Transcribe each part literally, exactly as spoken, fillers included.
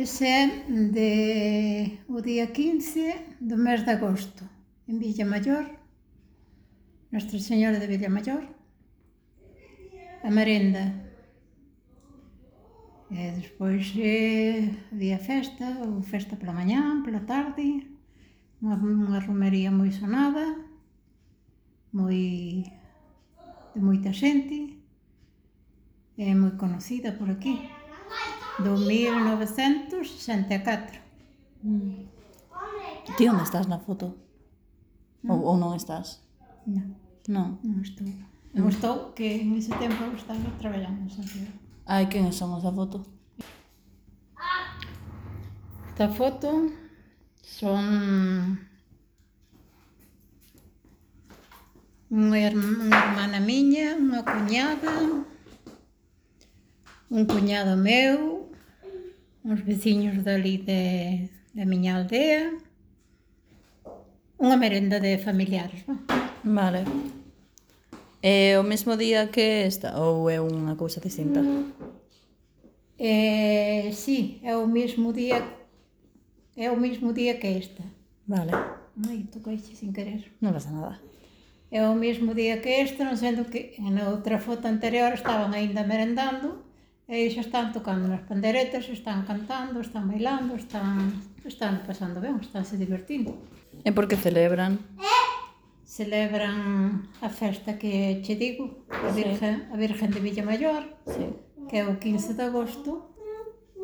Ese é de o día quince do mes de agosto, en Villamaior, Nuestra Señora de Villamaior, a merenda. E despois eh, había festa, ou festa pola mañá, pola tarde, unha, unha romería moi sonada, moi de moita xente, e moi conocida por aquí, do mil novecentos sesenta e catro. Mm. Ti onde estás na foto? Ou, ou non estás? Non, Non. non estou. Non estou, que en ese tempo estaba traballando en Santiago. Ai, quen son esa foto? Esta foto son unha, herm- unha hermana miña, unha cuñada, un cuñado meu, uns veciños dali de, da miña aldea, unha merenda de familiares, non? Vale. É o mesmo día que esta ou é unha cousa distinta? Eh, sí, é o mesmo día, é o mesmo día que esta. Vale. Ai, toqueixe sin querer. Non pasa nada. É o mesmo día que este, non sendo que na outra foto anterior estaban aínda merendando e xa están tocando nas panderetas, están cantando, están bailando, están, están pasando ben, están se divertindo. E por que celebran? Celebran a festa que che digo, a Virgen, a Virgen de Villamaior, Sí. que é o quince de agosto,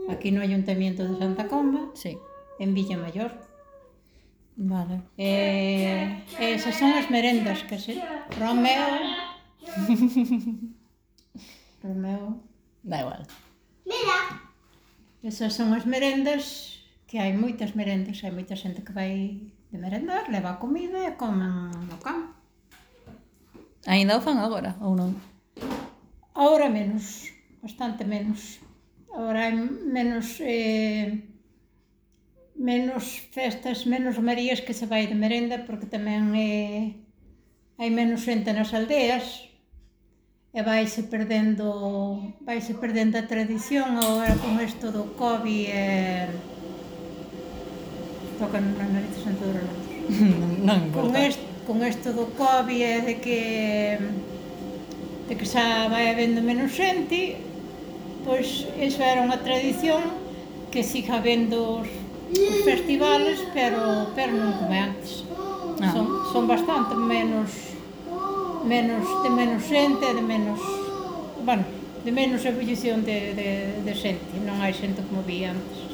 aquí no Ayuntamiento de Santa Comba, Sí. en Villamaior. Vale. E, e esas son as merendas que se... Romeo... Romeo... Da igual. Esas son as merendas, que hai moitas merendas, hai moita xente que vai de merendar, leva a comida e comen no campo. Ainda o fan agora ou non? Ahora menos, bastante menos. Ahora hai menos... Eh, menos festas, menos romarías que se vai de merenda, porque tamén eh, hai menos xente nas aldeas e vaise perdendo vaise perdendo a tradición agora con isto do COVID e tocan nas narices en todos os lados. Non Con importa. isto, con isto do COVID e de que de que xa vai habendo menos xente, pois iso era unha tradición que siga habendo os os festivales, pero, pero non como antes. Ah. Son, son bastante menos, menos, de menos xente, de menos, bueno, de menos ebullición de, de, de xente, non hai xente como vi antes.